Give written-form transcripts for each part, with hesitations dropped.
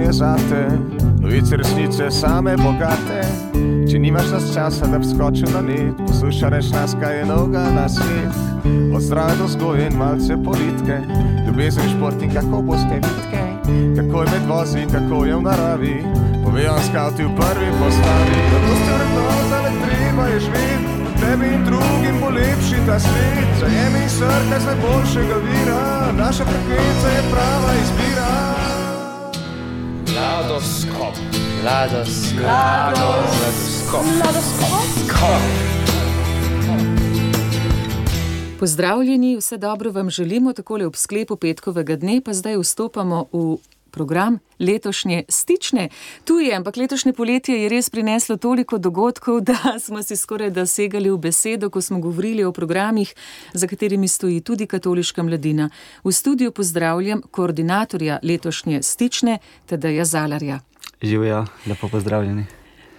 je zate, novice resnice same bogate. Če nimaš nas časa, da bi skočil na net, posluša reč nas, kaj je novega na svet. Od zdrave do vzgoje in malce politike, ljubezen, šport in kako boste vitke, kako je med vozi in kako je v naravi, povejo vam skavti v prvi postavi. Zato ste vrednota, le treba je živeti, tebi in drugim bo lepši ta svet. Zajemi in srkaj z najboljšega vira, naša frekvenca je prava izbira. Mladoskop. Pozdravljeni, vse dobro vam želimo takole ob sklepu petkovega dne, pa zdaj vstopamo v program letošnje Stične. Tu je, ampak letošnje poletje je res prineslo toliko dogodkov, da smo si skoraj dosegali v besedo, ko smo govorili o programih, za katerimi stoji tudi Katoliška mladina. V studiu pozdravljam koordinatorja letošnje Stične, Tadeja Zalarja. Živjo, lepo pozdravljeni.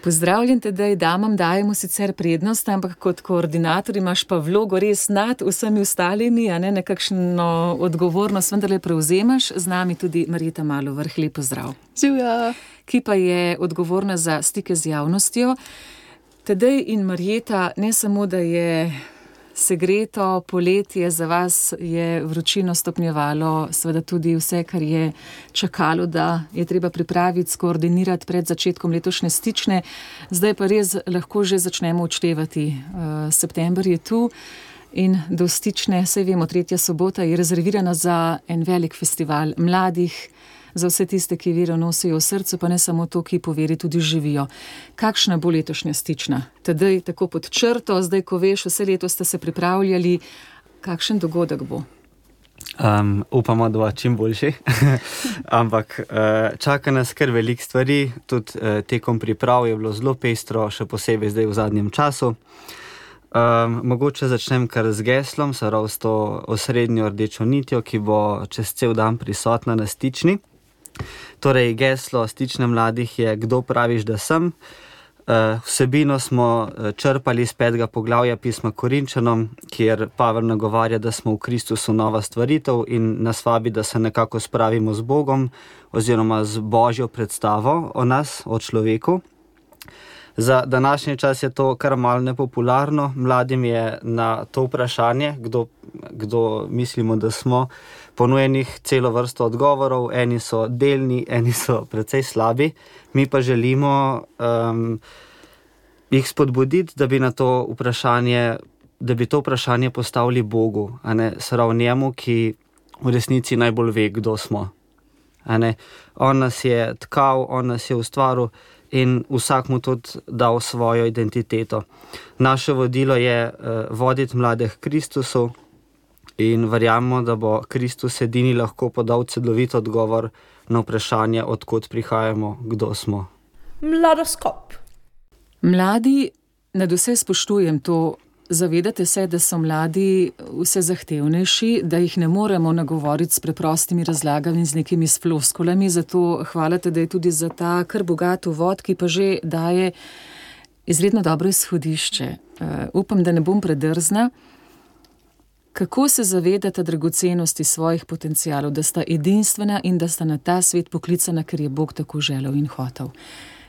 Pozdravljen, Tadej, damam dajemo sicer prednost, ampak kot koordinator imaš pa vlogo res nad vsemi ostalimi, a ne nekakšno odgovornost, vendarle prevzemaš. Z nami tudi Marjeta Malovrh, lep pozdrav. Živjo. Ki pa je odgovorna za stike z javnostjo. Tadej in Marjeta, ne samo, da je segreto poletje, za vas je vročino stopnjevalo, seveda tudi vse, kar je čakalo, da je treba pripraviti, skoordinirati pred začetkom letošnje Stične. Zdaj pa res lahko že začnemo odštevati. September je tu in do Stične, saj vemo, 3. sobota je rezervirana za en velik festival mladih, za vse tiste, ki vero nosijo v srcu, pa ne samo to, ki po veri tudi živijo. Kakšna bo letošnja Stična? Tadej, tako pod črto, zdaj ko veš, vse leto ste se pripravljali, kakšen dogodek bo? Upamo, da bo čim boljši, ampak čaka nas kar veliko stvari, tudi tekom priprav je bilo zelo pestro, še posebej zdaj v zadnjem času. Mogoče začnem kar z geslom, s to osrednjo rdečo nitjo, ki bo čez cel dan prisotna na Stični. Torej, geslo Stične mladih je Kdo praviš, da sem? Vsebino smo črpali iz 5. poglavja pisma Korinčanom, kjer Pavel nagovarja, da smo v Kristusu nova stvaritev in nas vabi, da se nekako spravimo z Bogom oziroma z Božjo predstavo o nas, o človeku. Za današnji čas je to kar malo nepopularno. Mladim je na to vprašanje, kdo mislimo, da smo, ponujenih celo vrsto odgovorov. Eni so delni, eni so precej slabi. Mi pa želimo jih spodbuditi, da bi to vprašanje postavili Bogu, a ne srav njemu, ki v resnici najbolj ve, kdo smo. A ne? On nas je tkal, on nas je ustvaril in vsak mu tudi dal svojo identiteto. Naše vodilo je voditi mlade k Kristusu in verjamemo, da bo Kristus edini lahko podal celovit odgovor na vprašanje, od kod prihajamo, kdo smo. Mladoskop. Mladi, nadvse spoštujem to, zavedate se, da so mladi vse zahtevnejši, da jih ne moremo nagovoriti s preprostimi razlagami in z nekimi floskulami, zato hvala Tadej tudi za ta kar bogat uvod, ki pa že daje izredno dobro izhodišče. Upam, da ne bom predrzna. Kako se zavedate dragocenosti svojih potencialov, da sta edinstvena in da sta na ta svet poklicana, ker je Bog tako želel in hotel?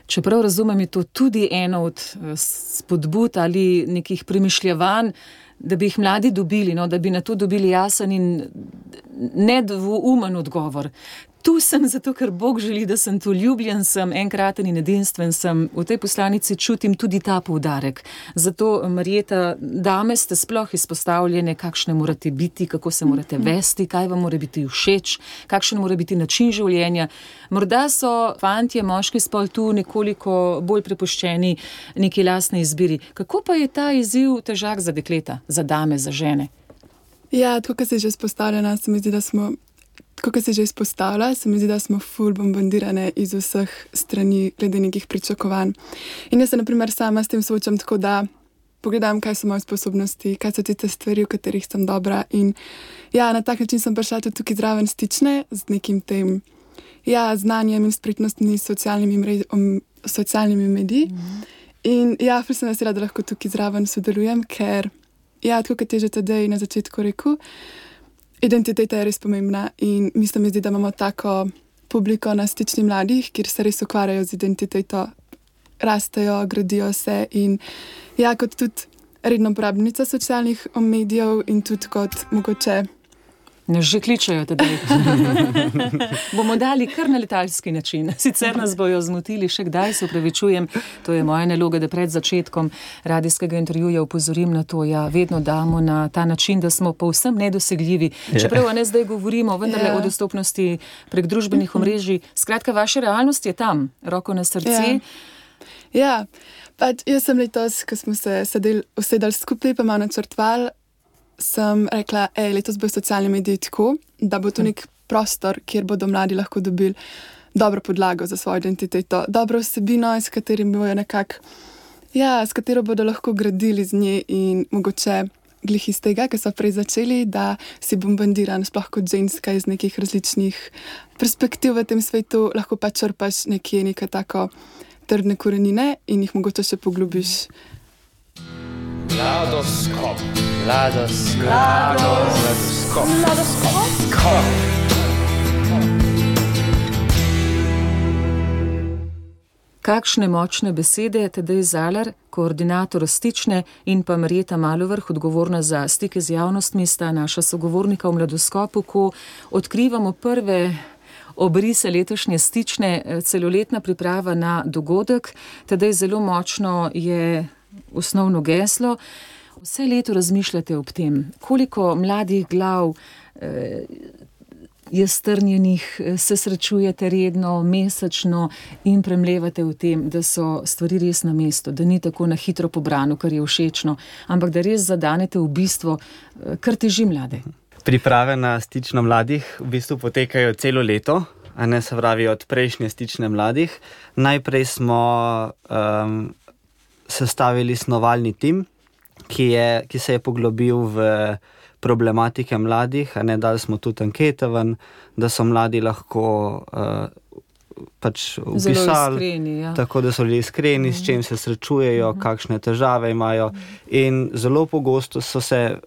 Čeprav razumem, je to tudi eno od spodbud ali nekih premišljevanj, da bi jih mladi dobili, da bi na to dobili jasen in nedvoumen odgovor. Tu sem zato, ker Bog želi, da sem tu, ljubljen sem, enkraten in edinstven sem. V tej poslanici čutim tudi ta poudarek. Zato, Marjeta, dame ste sploh izpostavljene, kakšne morate biti, kako se morate vesti, kaj vam mora biti všeč, kakšen mora biti način življenja. Morda so fantje, moški spol tu nekoliko bolj prepuščeni neki lastni izbiri. Kako pa je ta izziv težak za dekleta, za dame, za žene? Ja, tako kot se že izpostavljena, se mi zdi, da smo ful bombardirane iz vseh strani glede nekih pričakovanj. In jaz se na primer sama s tem soočam tako, da pogledam, kaj so moje sposobnosti, kaj so tiste stvari, v katerih sem dobra. In ja, na tak način sem prišla tudi tukaj zraven Stične z nekim tem znanjem in spretnostmi socialnimi mediji. In ja, ful sem vesela, da lahko tukaj zraven sodelujem, ker tako kot je že Tadej na začetku rekel, identiteta je res pomembna in mislim, da imamo publiko na Stični mladih, kjer se res ukvarjajo z identiteto, rastejo, gradijo se in ja, kot tudi redno uporabnica socialnih medijev in tudi kot mogoče. Nas že kličejo tedaj. Bomo dali kar na letalski način. Sicer nas bojo zmotili, še kdaj se upravičujem. To je moja naloga, da pred začetkom radijskega intervjuja upozorim na to. Ja, vedno damo na ta način, da smo povsem nedosegljivi. Čeprav ne zdaj govorimo vendarle o dostopnosti prek družbenih omrežij. Skratka, vaša realnost je tam, roko na srce. Ja, pač jaz sem letos, ko smo se usedali skupaj, pa malo načrtovali, sem rekla, letos bo socialne medije tako, da bo to nek prostor, kjer bodo mladi lahko dobili dobro podlago za svojo identiteto, dobro vsebino, s katero bodo lahko gradili z nje in mogoče glih iz tega, ker so prej začeli, da si bombardiran sploh kot ženska iz nekih različnih perspektiv v tem svetu, lahko pa črpaš nekaj tako trdne korenine in jih mogoče še poglobiš. Mladoskop. Kakšne močne besede, Tadej Zalar, koordinator Stične, in pa Marjeta Malovrh, odgovorna za stike z javnostmi, sta naša sogovornika v Mladoskopu, ko odkrivamo prve obrise letošnje Stične, celoletna priprava na dogodek. Tadej, zelo močno je osnovno geslo. Vse leto razmišljate ob tem, koliko mladih glav je strnjenih, se srečujete redno, mesečno in premlevate v tem, da so stvari res na mestu, da ni tako na hitro pobrano, kar je všečno, ampak da res zadanete v bistvo, kar teži mlade. Priprave na Stično mladih v bistvu potekajo celo leto, a ne, se pravi od prejšnje Stične mladih. Najprej smo sestavili snovalni tim, ki se je poglobil v problematike mladih, a ne, dali smo tudi ankete ven, da so mladi lahko pač upisali, tako da so bili iskreni, s čim se srečujejo, kakšne težave imajo, in zelo pogosto so se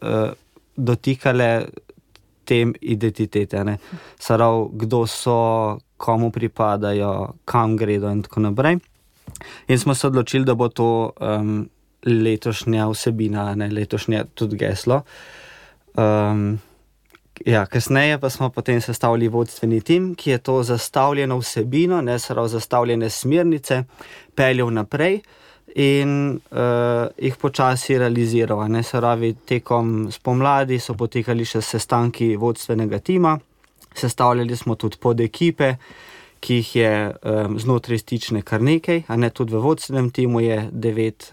dotikale tem identitete, ne. Sarav, kdo so, komu pripadajo, kam gredo in tako naprej. In smo se odločili, da bo to letošnja vsebina, ne, letošnje tudi geslo. Kasneje pa smo potem sestavili vodstveni tim, ki je to zastavljeno vsebino, ne, sarav zastavljene smernice, peljal naprej in jih počasi realiziral. Ne, saravi, tekom spomladi so potekali še sestanki vodstvenega tima, sestavljali smo tudi podekipe, ki jih je znotraj Stične kar nekaj, a ne, tudi v vodstvenem timu je 9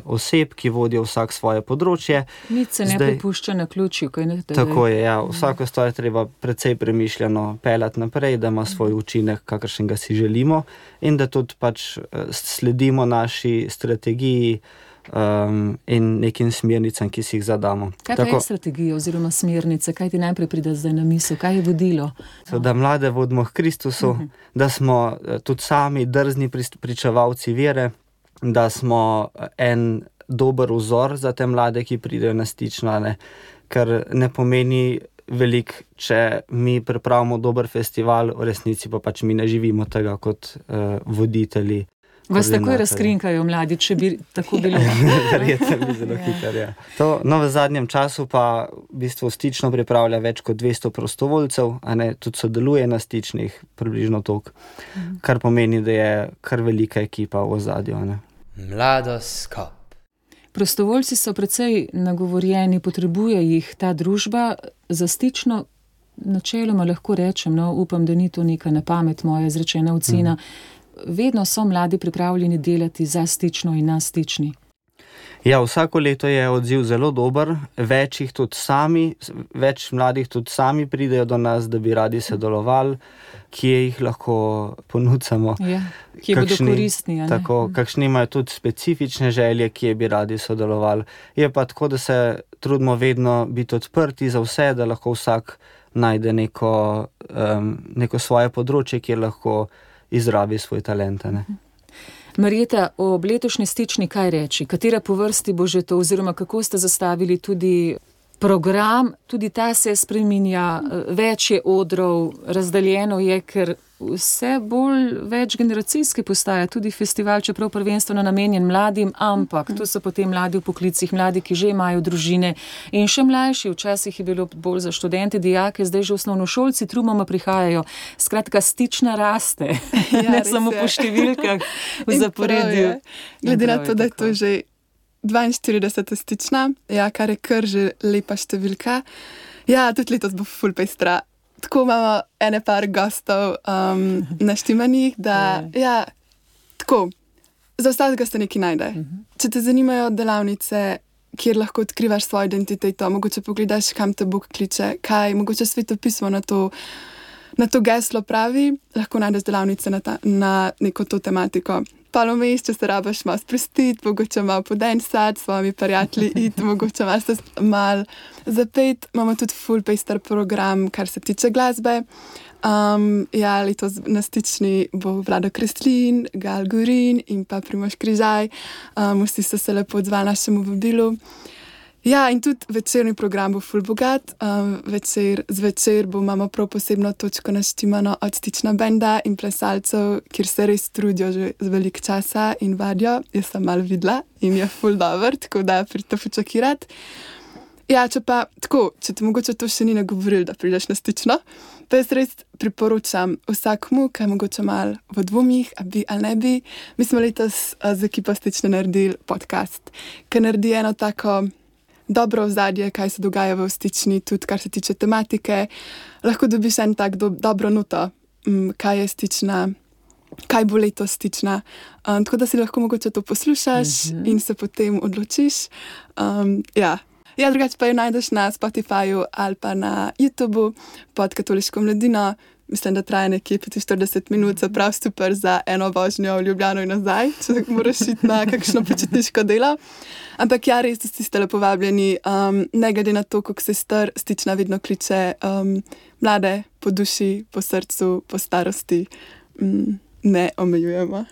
oseb, ki vodijo vsak svoje področje. Nič se ne prepušča na ključju, kaj ne? Tako je, ja. Vsako stvar je treba precej premišljeno peljati naprej, da ima svoj učinek, kakršnega si želimo, in da tudi pač sledimo naši strategiji in nekim smernicam, ki si jih zadamo. Kaj je strategija oziroma smernice? Kaj ti najprej pride zdaj na misel? Kaj je vodilo? Da mlade vodimo k Kristusu, da smo tudi sami drzni pričevalci vere, da smo en dober vzor za te mlade, ki pridejo na Stično, ne? Ker ne pomeni veliko, če mi pripravimo dober festival, v resnici pa pač mi ne živimo tega kot voditelji. Vas takoj razkrinkajo mladi, če bi tako bilo. Verjetno bi zelo hitro, ja. To, no, v zadnjem času pa v bistvu Stično pripravlja več kot 200 prostovoljcev, a ne, tudi sodeluje na Stičnih, približno toliko, kar pomeni, da je kar velika ekipa v ozadju, ne. Mladoskop. Prostovoljci so precej nagovorjeni, potrebuje jih ta družba. Za Stično načeloma lahko rečem, no, upam, da ni to neka na pamet moja izrečena ocena, vedno so mladi pripravljeni delati za Stično in na Stični. Ja, vsako leto je odziv zelo dober, več mladih tudi sami pridejo do nas, da bi radi sodelovali, kje jih lahko ponudimo. Ja, kje bodo koristni, a ne? Tako, kakšni imajo tudi specifične želje, kje bi radi sodelovali. Je pa tako, da se trudimo vedno biti odprti za vse, da lahko vsak najde neko svoje področje, kjer lahko izrabi svoj talent, ne. Marjeta, ob letošnji Stični kaj reči? Katera po vrsti bo že to, oziroma kako ste zastavili tudi program, tudi ta se spreminja, več je odrov, razdaljeno je, ker vse bolj večgeneracijski postaja tudi festival, čeprav prvenstveno namenjen mladim, ampak to so potem mladi v poklicih, mladi, ki že imajo družine in še mlajši, včasih je bilo bolj za študente, dijake, zdaj že osnovnošolci trumoma prihajajo. Skratka, stična raste, ne samo po številkah v zaporedju. Glede na to, da je to že 42. stična, kar je kar že lepa številka. Ja, tudi letos bo ful pestra. Tako imamo ene par gostov naštimanih, da tako, za vsakega se nekaj najde. Če te zanimajo delavnice, kjer lahko odkrivaš svojo identiteto, mogoče pogledaš, kam te Bog kliče, kaj, mogoče svetopismo na to geslo pravi, lahko najdeš delavnice na neko to tematiko. Palo vmes, če se rabaš malo sprostiti, mogoče malo podensati, s svojimi prijatelji iti, mogoče malo zapeti. Imamo tudi full pester program, kar se tiče glasbe. Letos na stični bo Vlado Kreslin, Gal Gorin in pa Primož Križaj. Vsi so se lepo odzvali našemu vabilu. Ja, in tudi večerni program bo ful bogat. Zvečer imamo prav posebno točko naštimano od stična benda in plesalcev, kjer se res trudijo že z veliko časa in vadijo. Jaz sem malo videla in je ful dober, tako da pridite počakirati. Ja, če ti mogoče to še ni nagovoril, da prideš na stično, pa jaz res priporočam vsakmu, ki je mogoče malo v dvomih, a bi ali ne bi. Mi smo letos z ekipo stične naredili podcast, ki naredi eno tako dobro ozadje, kaj se dogaja v stični, tudi kar se tiče tematike. Lahko dobiš en tak dobro noto, kaj je stična, kaj bo letos stična. Tako da si lahko mogoče to poslušaš in se potem odločiš. Drugače pa jo najdeš na Spotifyju ali pa na YouTubeu pod Katoliško mladino. Mislim, da traja nekje 45 minut, se prav super za eno vožnjo v Ljubljano in nazaj, če moraš iti na kakšno počitniško delo. Ampak res vsi ste lepo vabljeni, ne glede na to, kako se star, stična vedno kliče mlade po duši, po srcu, po starosti. Ne omejujemo.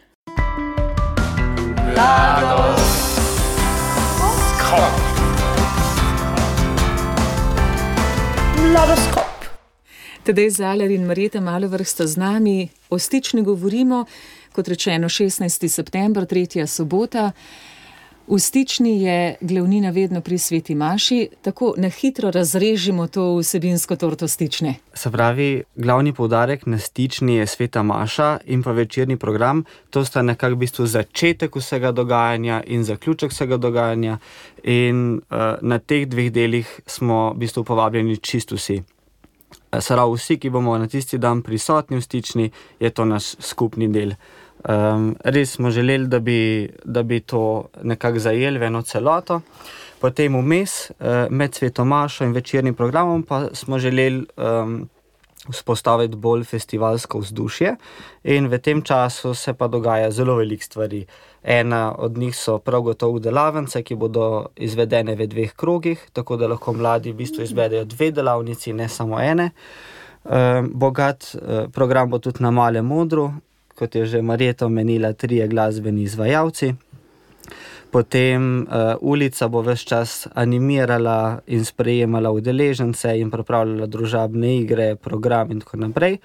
Mladoskop. Tadej Zaler in Marjeta Malovrh sta z nami. O stični govorimo, kot rečeno, 16. september, 3. sobota. V stični je glavnina vedno pri sveti maši. Tako na hitro razrežimo to vsebinsko torto stične. Se pravi, glavni poudarek na stični je sveta maša in pa večerni program. To sta nekako v bistvu začetek vsega dogajanja in zaključek vsega dogajanja. In na teh dveh delih smo v bistvu povabljeni čisto vsi. Sarav vsi, ki bomo na tisti dan prisotni v stični, je to naš skupni del. Res smo želeli, da bi to nekako zajeli v eno celoto. Potem vmes, med sveto mašo in večernim programom, pa smo želeli vzpostaviti bolj festivalsko vzdušje in v tem času se pa dogaja zelo veliko stvari. Ena od njih so prav gotovo delavnice, ki bodo izvedene v 2 krogih, tako da lahko mladi v bistvu izvedejo 2 delavnici, ne samo ene. Bogat program bo tudi na Malem odru, kot je že Marjeta omenila, 3 glasbeni izvajalci. Potem ulica bo ves čas animirala in sprejemala udeležence in pripravljala družabne igre, program in tako naprej.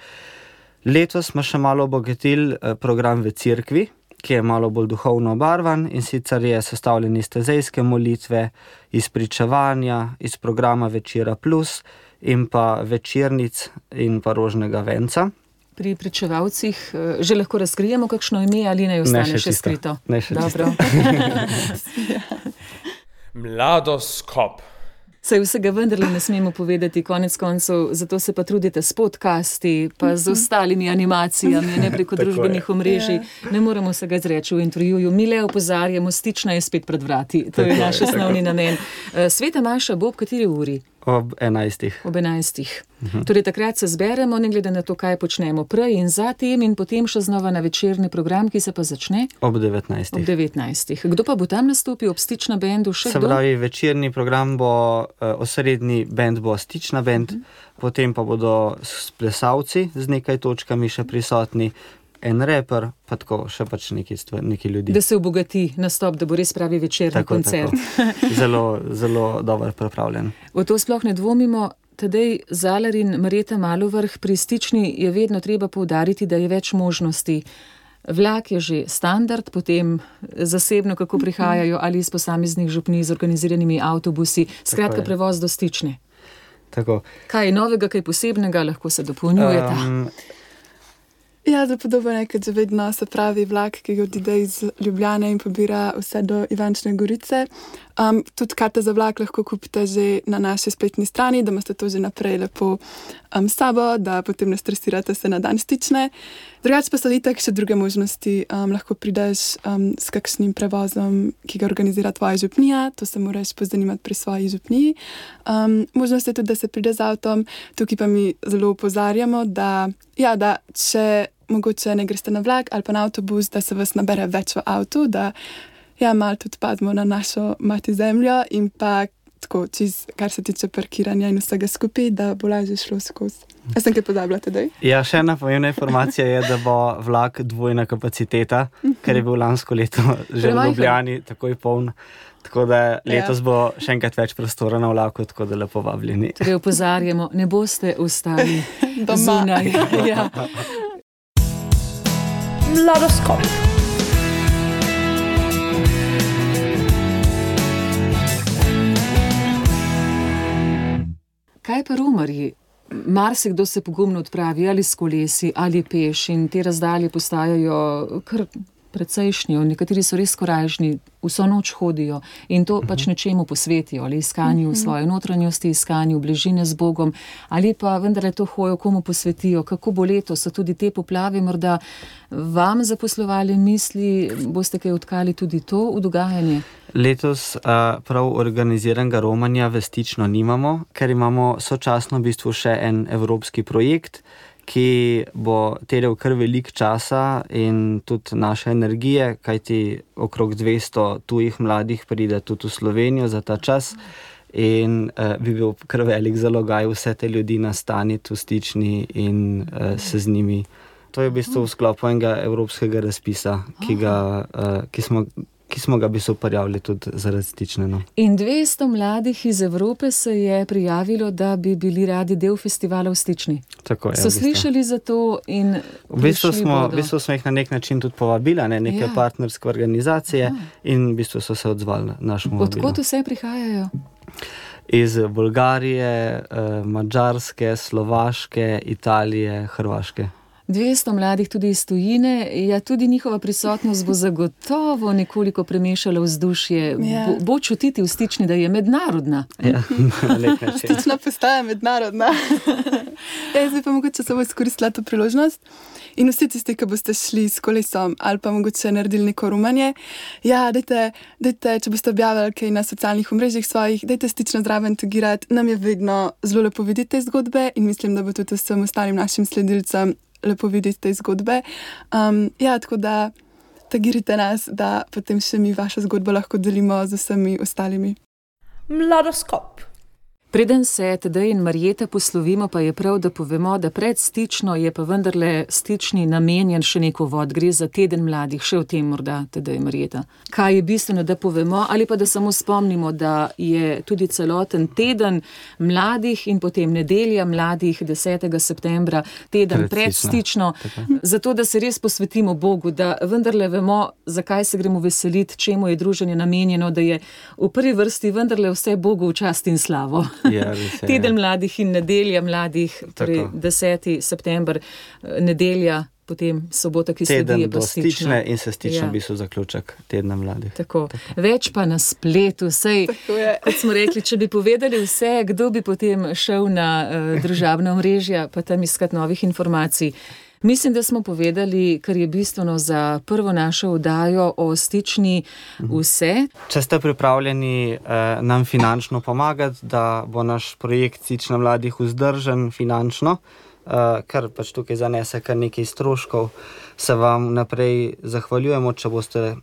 Letos smo še malo obogatili program v cerkvi, ki je malo bolj duhovno obarvan, in sicer je sestavljen iz tezejske molitve, iz pričevanja, iz programa Večera plus in pa večernic in pa rožnega venca. Pri pričevalcih že lahko razkrijemo kakšno ime ali naj ostane še skrito? Ne še Dobro. Mladoskop. Saj vsega vendarle ne smemo povedati, konec koncev, zato se pa trudite s podcasti, pa z ostalimi animacijami, ne preko družbenih omrežij. Ne moremo vsega izreči v intervjuju. Mi le opozarjamo, stična je spet pred vrati. To je naš osnovni namen. Sveta maša bo ob kateri uri? Ob 11. Ob 11. Torej takrat se zberemo, ne glede na to, kaj počnemo prej in zatem, in potem še znova na večerni program, ki se pa začne? Ob 19. Ob 19. Kdo pa bo tam nastopil ob stična bendu? Še Se pravi, večerni program bo, osrednji bend bo stična bend, potem pa bodo plesalci z nekaj točkami še prisotni, en reper, pa tako še pač neki ljudi. Da se obogati nastop, da bo res pravi večerni koncert. Tako. Zelo, zelo dobro pripravljen. V to sploh ne dvomimo. Tadej Zalar in Marjeta Malovrh, pri Stični je vedno treba poudariti, da je več možnosti. Vlak je že standard, potem zasebno, kako prihajajo, ali iz posameznih župnij z organiziranimi avtobusi, skratka prevoz do Stične. Tako. Kaj je novega, kaj posebnega, lahko se dopolnjujeta? Ja, zelo podobno je, kot že vedno se pravi vlak, ki ga odide iz Ljubljane in pobira vse do Ivančne Gorice. Tudi karte za vlak lahko kupite že na naši spletni strani, da imate to že naprej lepo s sabo, da potem ne stresirate se na dan Stične. Drugače pa so itak še druge možnosti. Lahko prideš s kakšnim prevozom, ki ga organizira tvoja župnija, to se moraš pozanimati pri svoji župniji. Možnost je tudi, da se pride z avtom. Tukaj pa mi zelo opozarjamo, da če mogoče ne greste na vlak ali pa na avtobus, da se vas nabere več v avtu, da malo tudi pademo na našo mati zemljo in pa tako, kar se tiče parkiranja in vsega skupaj, da bo lažje šlo skozi. Jaz sem kaj pozabila tedaj? Ja, še ena pomembna informacija je, da bo vlak dvojna kapaciteta, ker je bil lansko leto že v Ljubljani takoj poln. Tako da letos bo še enkrat več prostora na vlaku, tako da lepo vabljeni. Torej opozarjamo, ne boste ostali zunaj. Ja. Mladoskop. Kaj pa romarji? Marsikdo se pogumno odpravi ali s kolesi ali peš in te razdalje postajajo kar precejšnje. Nekateri so res korajžni, vso noč hodijo in to pač nečemu posvetijo, ali iskanju svoje notranjosti, iskanju bližine z Bogom, ali pa vendarle to hojo komu posvetijo. Kako bo letos, so tudi te poplave morda vam zaposlovali misli, boste kaj odkali tudi to v dogajanje? Letos prav organiziranega romanja v Stično nimamo, ker imamo sočasno v bistvu še en evropski projekt, ki bo terjal kar veliko časa in tudi naše energije, kajti okrog 200 tujih mladih pride tudi v Slovenijo za ta čas in bi bil kar velik zalogaj vse te ljudi nastaniti v Stični in se z njimi. To je v bistvu v sklopu enega evropskega razpisa, ki smo ga bi se uparjavili tudi zaradi Stične. No. In 200 mladih iz Evrope se je prijavilo, da bi bili radi del festivala v Stični. Tako je. So slišali za to in v bistvu smo jih na nek način tudi povabila, neke partnerske organizacije in v bistvu so se odzvali našemu vabilu. Odkot vse prihajajo? Iz Bolgarije, Madžarske, Slovaške, Italije, Hrvaške. 200 mladih tudi iz tujine, tudi njihova prisotnost bo zagotovo nekoliko premešala vzdušje. Bo čutiti v Stični, da je mednarodna. Ja, na nek način. Stična postaja mednarodna. Jaz bi pa mogoče samo izkoristila to priložnost in vsi tisti, ki boste šli s kolesom ali pa mogoče naredili neko romanje, dajte, če boste objavili kaj na socialnih omrežjih svojih, dajte Stično zraven tagirati. Nam je vedno zelo lepo videti te zgodbe in mislim, da bo tudi vsem ostalim našim sledilcem lepo videti te zgodbe. Tako da tagirite nas, da potem še mi vašo zgodbo lahko delimo z vsemi ostalimi. Mladoskop. Preden se Tadej in Marjeta poslovimo, pa je prav, da povemo, da pred Stično je pa vendarle Stični namenjen še neko vod. Gre za teden mladih, še o tem morda, Tadej in Marjeta. Kaj je bistveno, da povemo, ali pa da samo spomnimo, da je tudi celoten teden mladih in potem nedelja mladih 10. septembra, teden pred Stično, zato da se res posvetimo Bogu, da vendarle vemo, zakaj se gremo veseliti, čemu je druženje namenjeno, da je v prvi vrsti vendarle vse Bogu v čast in slavo. Ja, Teden mladih in nedelja mladih, torej 10. september, nedelja, potem sobota, ki sledi, je pa Stična. Teden do Stične in se Stična v bistvu zaključek tedna mladih. Tako. Več pa na spletu, sej, kot smo rekli, če bi povedali vse, kdo bi potem šel na družabna omrežja, pa tam iskati novih informacij. Mislim, da smo povedali, kar je bistveno za prvo našo oddajo o Stični vse. Če ste pripravljeni nam finančno pomagati, da bo naš projekt Stična mladih vzdržen finančno, kar pač tukaj zanese kar nekaj stroškov, se vam naprej zahvaljujemo, če boste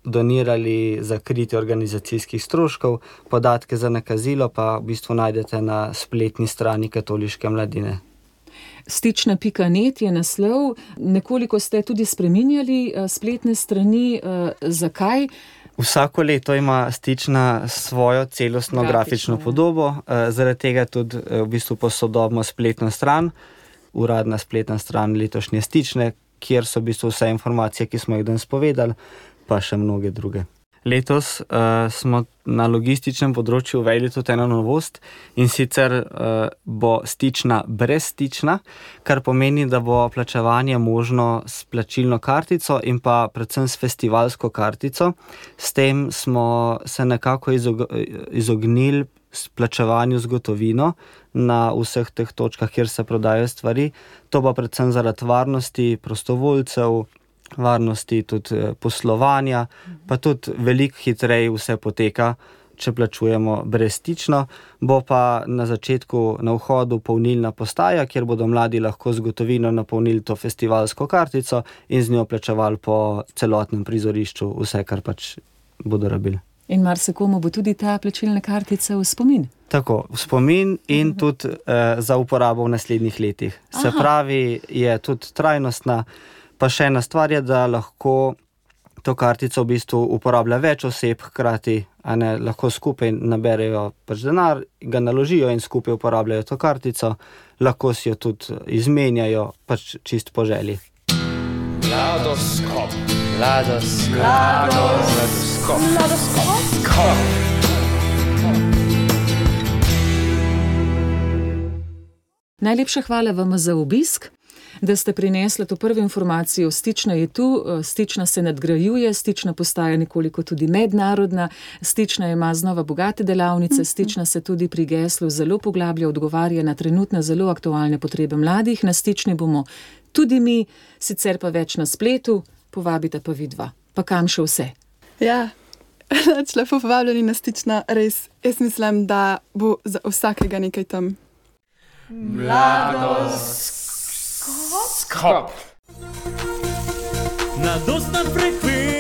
donirali za kritje organizacijskih stroškov. Podatke za nakazilo pa v bistvu najdete na spletni strani Katoliške mladine. Stična.net je naslov. Nekoliko ste tudi spreminjali spletne strani. Zakaj? Vsako leto ima Stična svojo celostno grafično podobo, zaradi tega tudi v bistvu posodobimo spletno stran, uradna spletna stran letošnje Stične, kjer so v bistvu vse informacije, ki smo jih danes povedali, pa še mnoge druge. Letos smo na logističnem področju uvedli tudi eno novost, in sicer bo Stična brezstična, kar pomeni, da bo plačevanje možno s plačilno kartico in pa predvsem s festivalsko kartico. S tem smo se nekako izognili plačevanju z gotovino na vseh teh točkah, kjer se prodajajo stvari. To pa predvsem zaradi varnosti prostovoljcev, varnosti tudi poslovanja, pa tudi veliko hitreje vse poteka, če plačujemo brezstično. Bo pa na začetku, na vhodu polnilna postaja, kjer bodo mladi lahko z gotovino napolnili to festivalsko kartico in z njo plačevali po celotnem prizorišču vse, kar pač bodo rabili. In marsikomu bo tudi ta plačilna kartica v spomin? Tako, v spomin in tudi za uporabo v naslednjih letih. Se pravi, je tudi trajnostna. Pa še ena stvar je, da lahko to kartico v bistvu uporablja več oseb hkrati, lahko skupaj naberejo pač denar, ga naložijo in skupaj uporabljajo to kartico, lahko si jo tudi izmenjajo, pač čist po želji. Mladoskop. Najlepša hvala vam za obisk, da ste prinesli to prvo informacijo. Stična je tu, Stična se nadgrajuje, Stična postaja nekoliko tudi mednarodna, Stična ima znova bogate delavnice, Stična se tudi pri geslu zelo poglablja, odgovarja na trenutne zelo aktualne potrebe mladih. Na Stični bomo tudi mi, sicer pa več na spletu, povabite pa vidva. Pa kam še vse? Ja, lepo povabljeni na Stična, res. Jaz mislim, da bo za vsakega nekaj tam. Mladoskop. Mladostna frekvenca.